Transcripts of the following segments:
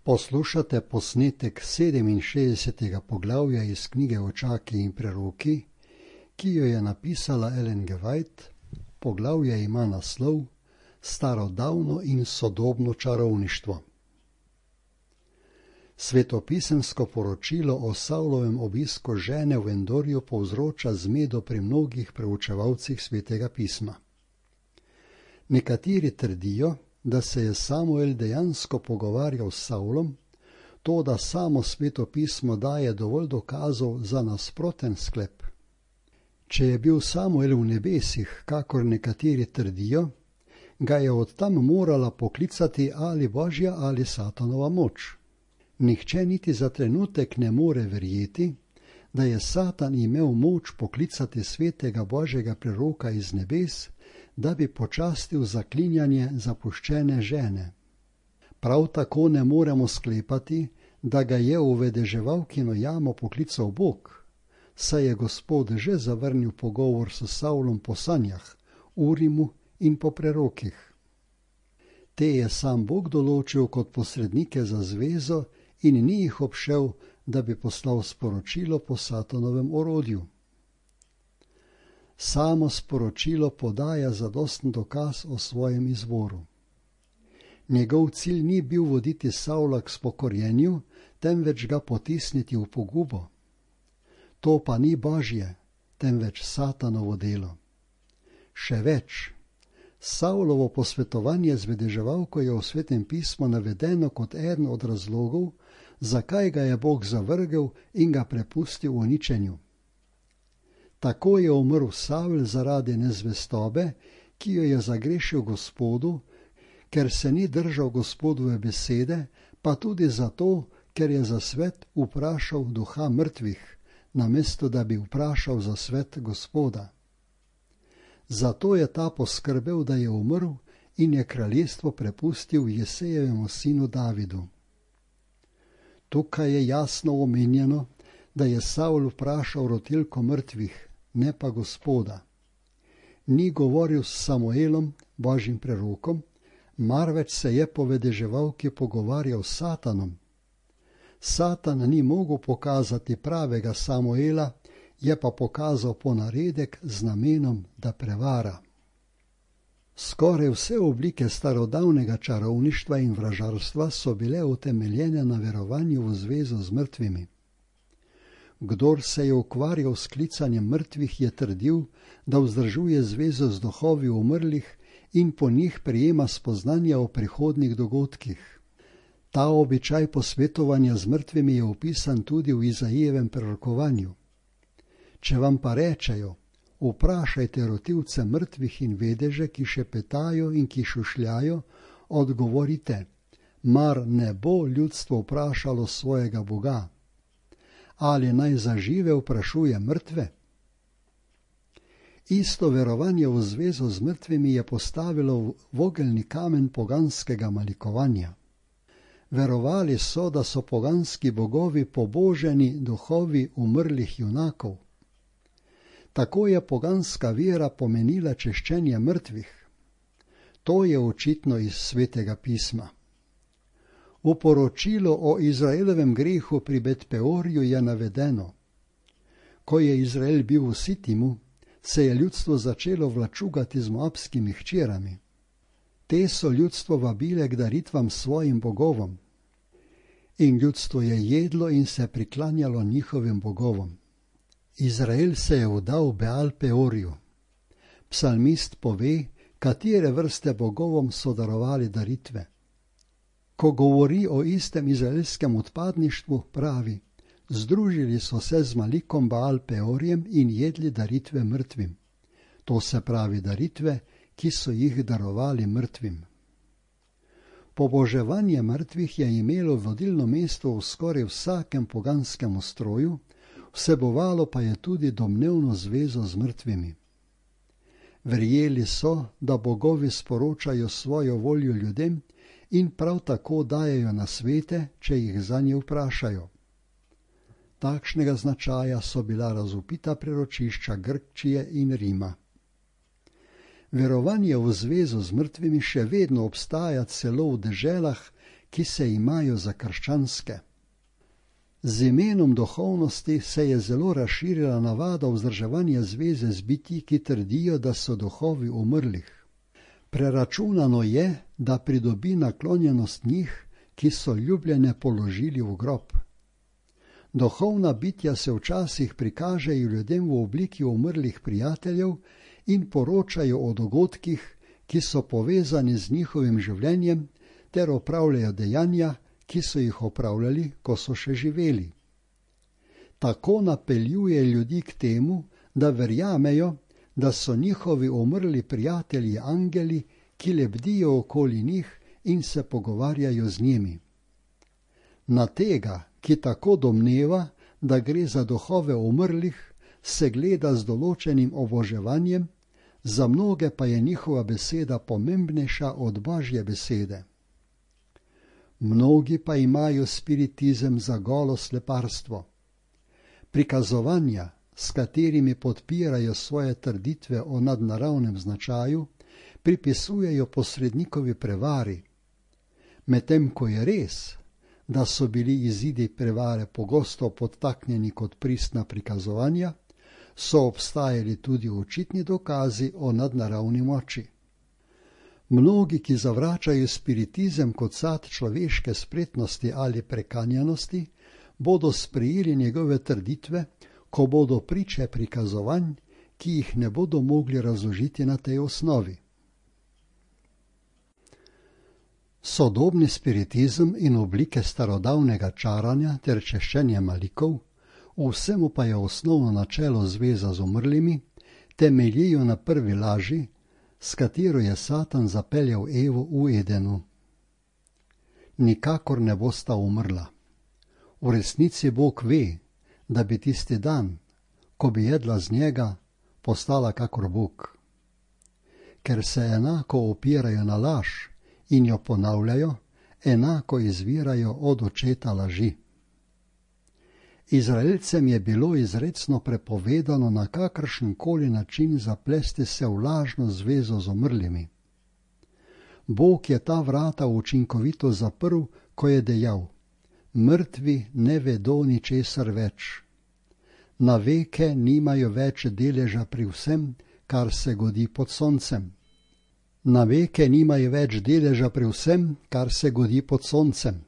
Poslušate posnetek 67. poglavja iz knjige Očaki in preroki, ki jo je napisala Ellen G. White. Poglavje ima naslov Starodavno in sodobno čarovništvo. Svetopisemsko poročilo o Savlovem obisku žene v Endorju povzroča zmedo pri mnogih preučevalcih Svetega pisma. Nekateri trdijo, da se je Samuel dejansko pogovarjal s Savlom, to da samo Sveto pismo daje dovolj dokazov za nasproten sklep. Če je bil Samuel v nebesih, kakor nekateri trdijo, ga je od tam morala poklicati ali Božja ali Satanova moč. Nihče niti za trenutek ne more verjeti, da je Satan imel moč poklicati svetega Božjega preroka iz nebes, da bi počastil zaklinjanje zapuščene žene. Prav tako ne moremo sklepati, da ga je v vedeževalkino jamo poklical Bog, saj je Gospod že zavrnil pogovor s Savlom po sanjah, Urimu in po prerokih. Te je sam Bog določil kot posrednike za zvezo in ni jih obšel, da bi poslal sporočilo po Satanovem orodju. Samo sporočilo podaja zadosten dokaz o svojem izvoru. Njegov cilj ni bil voditi Savla k spokorjenju, temveč ga potisniti v pogubo. To pa ni Božje, temveč Satanovo delo. Še več, Savlovo posvetovanje z vedeževalko je v Svetem pismu navedeno kot eden od razlogov, zakaj ga je Bog zavrgel in ga prepustil uničenju. Tako je umrl Savl zaradi nezvestobe, ki jo je zagrešil Gospodu, ker se ni držal Gospodove besede, pa tudi zato, ker je za svet vprašal duha mrtvih, namesto da bi vprašal za svet Gospoda. Zato je ta poskrbel, da je umrl in je kraljestvo prepustil Jesejevemu sinu Davidu. Tukaj je jasno omenjeno, da je Savl vprašal rotilko mrtvih, ne pa Gospoda. Ni govoril s Samuelom, Božjim prerokom, marveč se je po vedeževalki pogovarjal s Satanom. Satan ni mogel pokazati pravega Samuela, je pa pokazal ponaredek z namenom, da prevara. Skoraj vse oblike starodavnega čarovništva in vražarstva so bile utemeljene na verovanju v zvezo z mrtvimi. Kdor se je ukvarjal s klicanjem mrtvih, je trdil, da vzdržuje zvezo z duhovi umrlih in po njih prejema spoznanja o prihodnjih dogodkih. Ta običaj posvetovanja z mrtvimi je opisan tudi v Izajevem prorokovanju. Če vam pa rečejo, vprašajte rotilce mrtvih in vedeže, ki šepetajo in ki šušljajo, odgovorite, mar ne bo ljudstvo vprašalo svojega Boga? Ali naj za žive vprašuje mrtve? Isto verovanje v zvezo z mrtvimi je postavilo vogelni kamen poganskega malikovanja. Verovali so, da so poganski bogovi poboženi duhovi umrlih junakov. Tako je poganska vera pomenila češčenje mrtvih. To je očitno iz Svetega pisma. V poročilu o Izraelovem grehu pri Bet-Peorju je navedeno: ko je Izrael bil v Sitimu, se je ljudstvo začelo vlačugati z moabskimi hčerami. Te so ljudstvo vabile k daritvam svojim bogovom. In ljudstvo je jedlo in se priklanjalo njihovim bogovom. Izrael se je vdal Beal-Peorju. Psalmist pove, katere vrste bogovom so darovali daritve. Ko govori o istem izraelskem odpadništvu, pravi, združili so se z Malikom Baal-Peorjem in jedli daritve mrtvim. To se pravi daritve, ki so jih darovali mrtvim. Poboževanje mrtvih je imelo vodilno mesto v skoraj vsakem poganskem ustroju, vsebovalo pa je tudi domnevno zvezo z mrtvimi. Verjeli so, da bogovi sporočajo svojo voljo ljudem in prav tako dajejo nasvete, če jih zanje vprašajo. Takšnega značaja so bila razvpita preročišča Grčije in Rima. Verovanje v zvezo z mrtvimi še vedno obstaja celo v deželah, ki se imajo za krščanske. Z imenom duhovnosti se je zelo razširila navada vzdrževanja zveze z bitji, ki trdijo, da so duhovi umrlih. Preračunano je, da pridobi naklonjenost njih, ki so ljubljene položili v grob. Duhovna bitja se včasih prikažejo ljudem v obliki umrlih prijateljev in poročajo o dogodkih, ki so povezani z njihovim življenjem, ter opravljajo dejanja, ki so jih opravljali, ko so še živeli. Tako napeljuje ljudi k temu, da verjamejo, da so njihovi umrli prijatelji angeli, ki lebdijo okoli njih in se pogovarjajo z njimi. Na tega, ki tako domneva, da gre za duhove umrlih, se gleda z določenim oboževanjem, za mnoge pa je njihova beseda pomembnejša od Božje besede. Mnogi pa imajo spiritizem za golo sleparstvo. Prikazovanja, s katerimi podpirajo svoje trditve o nadnaravnem značaju, pripisujejo posrednikovi prevari, medtem ko je res, da so bili izidi prevare pogosto podtaknjeni kot pristna prikazovanja, so obstajali tudi očitni dokazi o nadnaravni moči. Mnogi, ki zavračajo spiritizem kot sad človeške spretnosti ali prekanjanosti, bodo sprejeli njegove trditve, ko bodo priče prikazovanj, ki jih ne bodo mogli razložiti na tej osnovi. Sodobni spiritizem in oblike starodavnega čaranja ter češčenja malikov, vsemu pa je osnovno načelo zveza z umrlimi, temeljijo na prvi laži, s katero je Satan zapeljal Evo v Edenu. Nikakor ne bosta umrla. V resnici Bog ve, da bi tisti dan, ko bi jedla z njega, postala kakor Bog. Ker se enako opirajo na laž in jo ponavljajo, enako izvirajo od očeta laži. Izraelcem je bilo izrecno prepovedano na kakršenkoli način zaplesti se v lažno zvezo z umrlimi. Bog je ta vrata učinkovito zaprl, ko je dejal: mrtvi ne vedo ničesar več. Na veke nimajo več deleža pri vsem, kar se godi pod soncem. Na veke nimajo več deleža pri vsem, kar se godi pod soncem.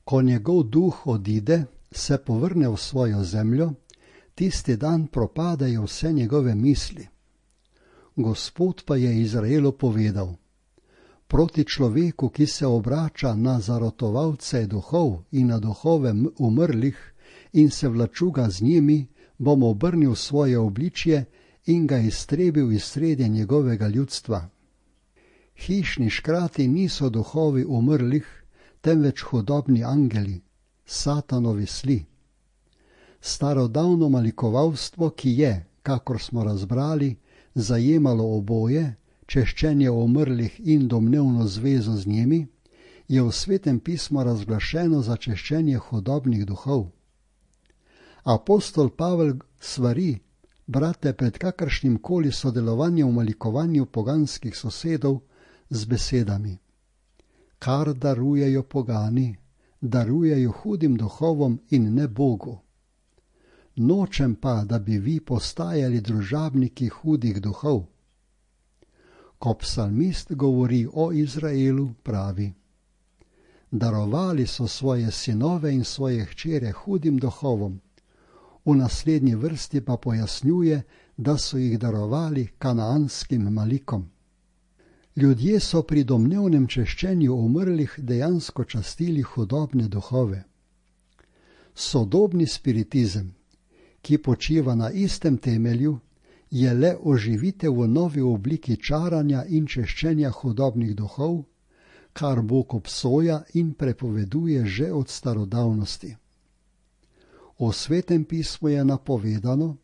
Ko njegov duh odide, se povrne v svojo zemljo, tisti dan propadajo vse njegove misli. Gospod pa je Izraelu povedal: proti človeku, ki se obrača na zarotovalce duhov in na duhove umrlih in se vlačuga z njimi, bom obrnil svoje obličje in ga iztrebil iz srede njegovega ljudstva. Hišni škrati niso duhovi umrlih, temveč hudobni angeli, Satanovi sli. Starodavno malikovalstvo, ki je, kakor smo razbrali, zajemalo oboje, češčenje umrlih in domnevno zvezo z njimi, je v Svetem pismu razglašeno za češčenje hudobnih duhov. Apostol Pavel svari brate pred kakršnim koli sodelovanjem v malikovanju poganskih sosedov z besedami: kar darujejo pogani, darujejo hudim duhovom in ne Bogu. Nočem pa, da bi vi postajali družabniki hudih duhov. Ko psalmist govori o Izraelu, pravi: darovali so svoje sinove in svoje hčere hudim duhovom. V naslednji vrsti pa pojasnjuje, da so jih darovali kanaanskim malikom. Ljudje so pri domnevnem češčenju umrlih dejansko častili hudobne duhove. Sodobni spiritizem, ki počiva na istem temelju, je le oživitev v novi obliki čaranja in češčenja hudobnih duhov, kar Bog obsoja in prepoveduje že od starodavnosti. V Svetem pismu je napovedano,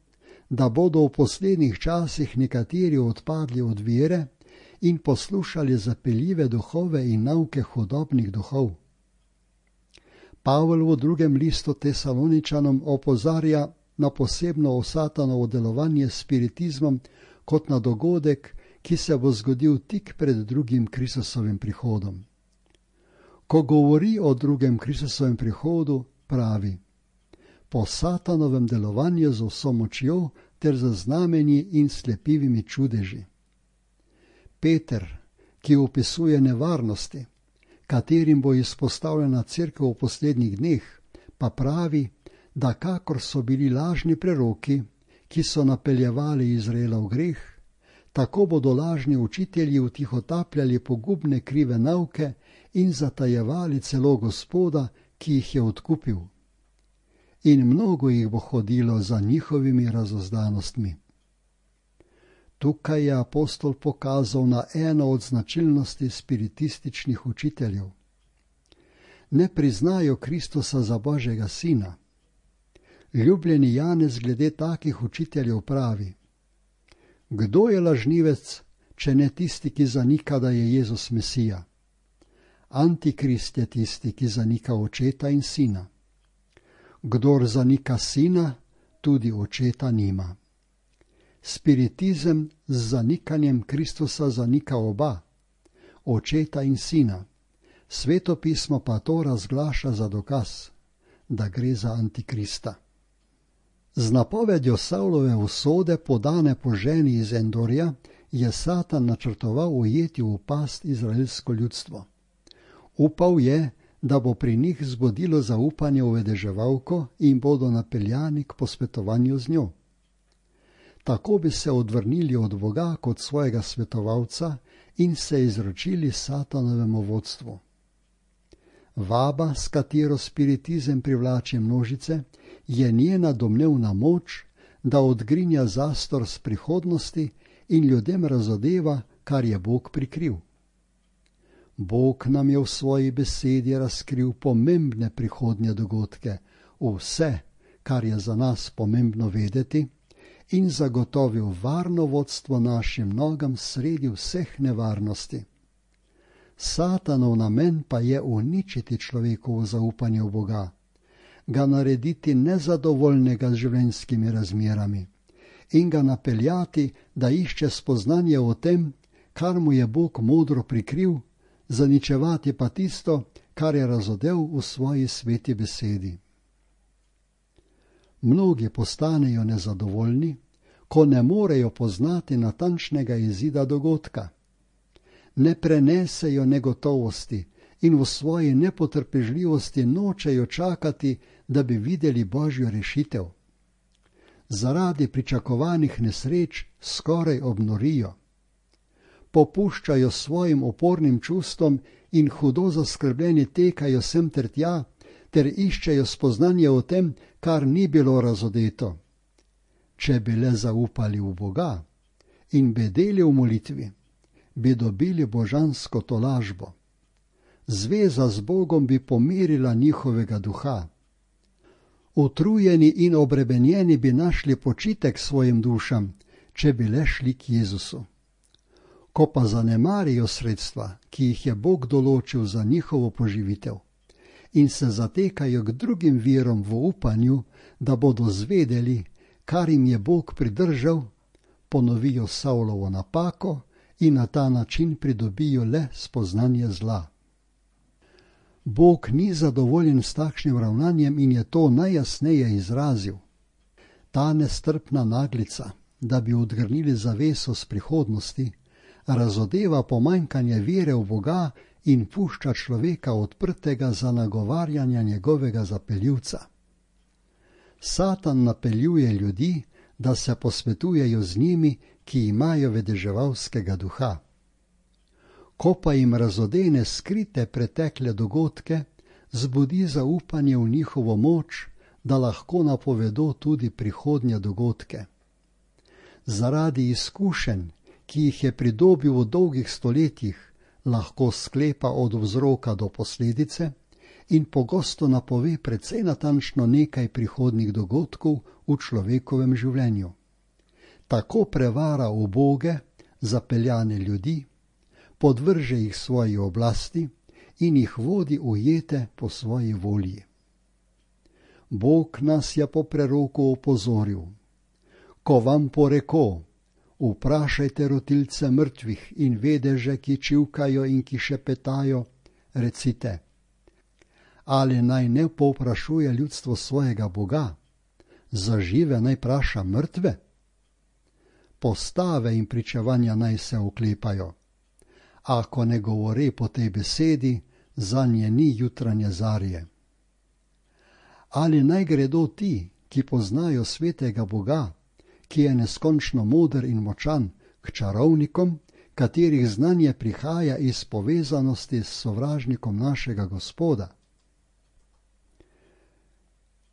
da bodo v poslednjih časih nekateri odpadli od vere in poslušali zapeljive duhove in nauke hudobnih duhov. Pavel v 2. listu Tesaloničanom opozarja na posebno Satanovo delovanje s spiritizmom kot na dogodek, ki se bo zgodil tik pred drugim Kristusovim prihodom. Ko govori o drugem Kristusovem prihodu, pravi: po Satanovem delovanju z vso močjo ter z znamenji in slepivimi čudeži. Peter, ki opisuje nevarnosti, katerim bo izpostavljena cerkev v poslednjih dneh, pa pravi, da kakor so bili lažni preroki, ki so napeljevali Izraela v greh, tako bodo lažni učitelji vtihotapljali pogubne krive nauke in zatajevali celo Gospoda, ki jih je odkupil. In mnogo jih bo hodilo za njihovimi razozdanostmi. Tukaj je apostol pokazal na eno od značilnosti spiritističnih učiteljev. Ne priznajo Kristusa za Božjega sina. Ljubljeni Janez glede takih učiteljev pravi: kdo je lažnivec, če ne tisti, ki zanika, da je Jezus Mesija? Antikrist je tisti, ki zanika očeta in sina. Kdor zanika sina, tudi očeta nima. Spiritizem z zanikanjem Kristusa zanika oba, očeta in sina. Sveto pismo pa to razglaša za dokaz, da gre za antikrista. Z napovedjo Savlove usode, podane po ženi iz Endorja, je Satan načrtoval ujeti v past izraelsko ljudstvo. Upal je, da bo pri njih zbudilo zaupanje v vedeževalko in bodo napeljani k posvetovanju z njo. Tako bi se odvrnili od Boga kot svojega svetovalca in se izročili Satanovemu vodstvu. Vaba, s katero spiritizem privlači množice, je njena domnevna moč, da odgrinja zastor z prihodnosti in ljudem razodeva, kar je Bog prikril. Bog nam je v svoji besedi razkril pomembne prihodnje dogodke, vse, kar je za nas pomembno vedeti, in zagotovil varno vodstvo našim nogam sredi vseh nevarnosti. Satanov namen pa je uničiti človekovo zaupanje v Boga, ga narediti nezadovoljnega z življenjskimi razmerami in ga napeljati, da išče spoznanje o tem, kar mu je Bog modro prikril, zaničevati pa tisto, kar je razodel v svoji sveti besedi. Mnogi postanejo nezadovoljni, ko ne morejo poznati natančnega izida dogodka. Ne prenesejo negotovosti in v svoji nepotrpežljivosti nočejo čakati, da bi videli Božjo rešitev. Zaradi pričakovanih nesreč skoraj obnorijo. Popuščajo svojim opornim čustvom in hudo zaskrbljeni tekajo sem ter tja, ter iščejo spoznanje o tem, kar ni bilo razodeto. Če bi le zaupali v Boga in bedeli v molitvi, bi dobili božansko tolažbo. Zveza z Bogom bi pomirila njihovega duha. Utrujeni in obremenjeni bi našli počitek svojim dušam, če bi le šli k Jezusu. Ko pa zanemarijo sredstva, ki jih je Bog določil za njihovo poživitev, in se zatekajo k drugim virom v upanju, da bodo zvedeli, kar jim je Bog pridržal, ponovijo Savlovo napako in na ta način pridobijo le spoznanje zla. Bog ni zadovoljen s takšnim ravnanjem in je to najjasneje izrazil. Ta nestrpna naglica, da bi odgrnili zaveso z prihodnosti, razodeva pomanjkanje vere v Boga in pušča človeka odprtega za nagovarjanje njegovega zapeljivca. Satan napeljuje ljudi, da se posvetujejo z njimi, ki imajo vedeževalskega duha. Ko pa jim razodene skrite pretekle dogodke, zbudi zaupanje v njihovo moč, da lahko napovedo tudi prihodnje dogodke. Zaradi izkušenj, ki jih je pridobil v dolgih stoletjih, lahko sklepa od vzroka do posledice in pogosto napove precej natančno nekaj prihodnjih dogodkov v človekovem življenju. Tako prevara uboge, zapeljane ljudi, podvrže jih svoji oblasti in jih vodi ujete po svoji volji. Bog nas je po preroku opozoril: ko vam poreko, vprašajte rotilce mrtvih in vedeže, ki čivkajo in ki šepetajo, recite: ali naj ne povprašuje ljudstvo svojega Boga, za žive naj praša mrtve? Postave in pričevanja naj se oklepajo. Ako ne govori po tej besedi, zanje ni jutranje zarje. Ali naj gredo ti, ki poznajo svetega Boga, ki je neskončno moder in močan, k čarovnikom, katerih znanje prihaja iz povezanosti s sovražnikom našega Gospoda?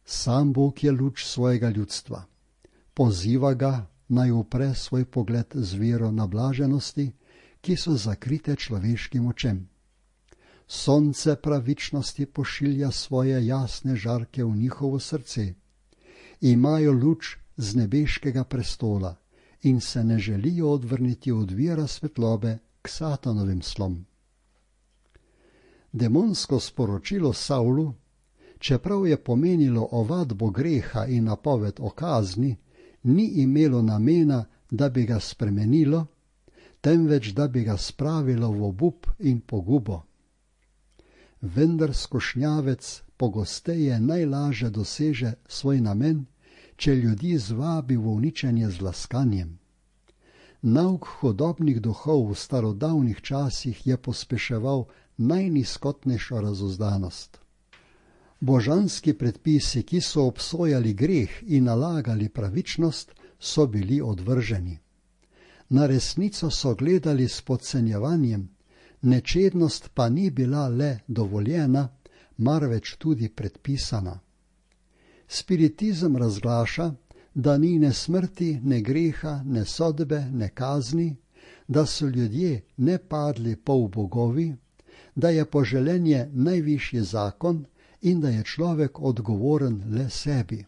Sam Bog je luč svojega ljudstva. Poziva ga, naj upre svoj pogled z vero na blaženosti, ki so zakrite človeškim očem. Sonce pravičnosti pošilja svoje jasne žarke v njihovo srce. Imajo luč z nebeškega prestola in se ne želijo odvrniti od vira svetlobe k Satanovim slom. Demonsko sporočilo Savlu, čeprav je pomenilo ovadbo greha in napoved o kazni, ni imelo namena, da bi ga spremenilo, temveč da bi ga spravilo v obup in pogubo. Vendar skušnjavec pogosteje najlaže doseže svoj namen, če ljudi zvabi v uničenje z laskanjem. Nauk hudobnih duhov v starodavnih časih je pospeševal najnizkotnejšo razuzdanost. Božanski predpisi, ki so obsojali greh in nalagali pravičnost, so bili odvrženi. Na resnico so gledali s podcenjevanjem, nečednost pa ni bila le dovoljena, marveč tudi predpisana. Spiritizem razglaša, da ni ne smrti, ne greha, ne sodbe, ne kazni, da so ljudje ne padli polbogovi, da je poželenje najvišji zakon in da je človek odgovoren le sebi.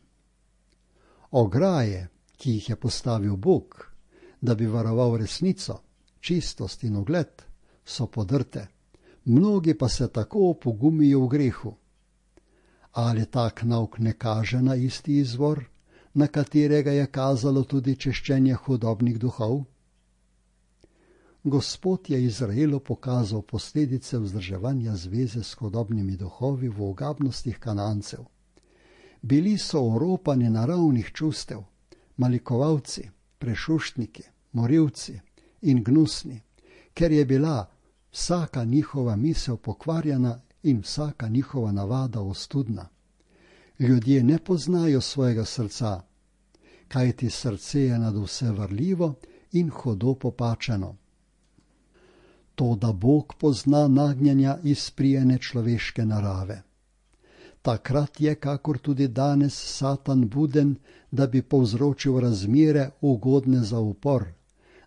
Ograje, ki jih je postavil Bog, da bi varoval resnico, čistost in ugled, so podrte, mnogi pa se tako opogumijo v grehu. Ali tak nauk ne kaže na isti izvor, na katerega je kazalo tudi češčenje hudobnih duhov? Gospod je Izraelu pokazal posledice vzdrževanja zveze s hudobnimi duhovi v ogabnostih Kanancev. Bili so oropani naravnih čustev, malikovalci, prešuštniki, morilci in gnusni, ker je bila vsaka njihova misel pokvarjena in vsaka njihova navada ostudna. Ljudje ne poznajo svojega srca, kajti srce je nad vse varljivo in hudo popačeno. To, da Bog pozna nagnjenja izprijene človeške narave. Takrat je, kakor tudi danes, Satan buden, da bi povzročil razmere ugodne za upor,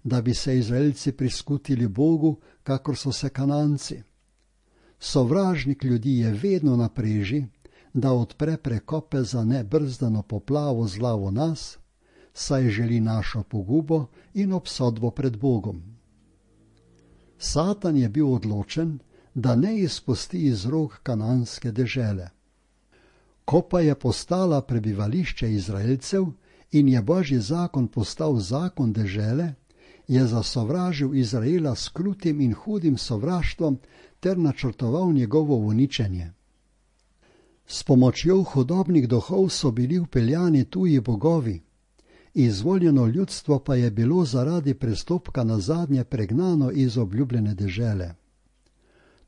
da bi se Izraelci priskutili Bogu, kakor so se Kananci. Sovražnik ljudi je vedno na preži, da odpre prekope za nebrzdano poplavo zla v nas, saj želi našo pogubo in obsodbo pred Bogom. Satan je bil odločen, da ne izpusti iz rok kananske dežele. Ko pa je postala prebivališče Izraelcev in je Božji zakon postal zakon dežele, je zasovražil Izraela s krutim in hudim sovraštvom ter načrtoval njegovo uničenje. S pomočjo hudobnih duhov so bili vpeljani tuji bogovi, izvoljeno ljudstvo pa je bilo zaradi prestopka nazadnje pregnano iz obljubljene dežele.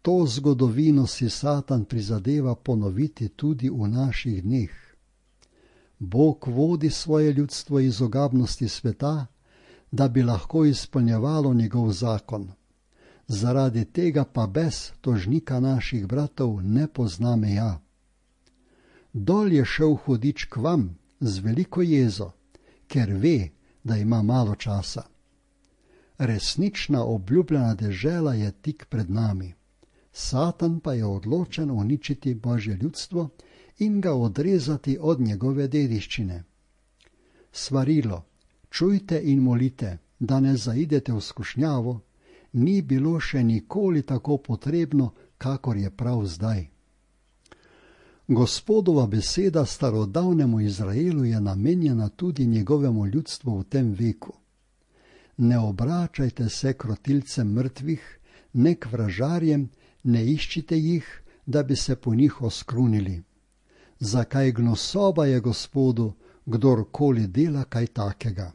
To zgodovino si Satan prizadeva ponoviti tudi v naših dneh. Bog vodi svoje ljudstvo iz ogabnosti sveta, da bi lahko izpolnjevalo njegov zakon. Zaradi tega pa bes tožnika naših bratov ne pozna meja. Dol je šel hudič k vam z veliko jezo, ker ve, da ima malo časa. Resnična obljubljena dežela je tik pred nami. Satan pa je odločen uničiti Božje ljudstvo in ga odrezati od njegove dediščine. Svarilo, čujte in molite, da ne zaidete v skušnjavo, ni bilo še nikoli tako potrebno, kakor je prav zdaj. Gospodova beseda starodavnemu Izraelu je namenjena tudi njegovemu ljudstvu v tem veku. Ne obračajte se k rotilcem mrtvih, ne k vražarjem, ne iščite jih, da bi se po njih oskrunili. Zakaj gnusoba je Gospodu, kdorkoli dela kaj takega.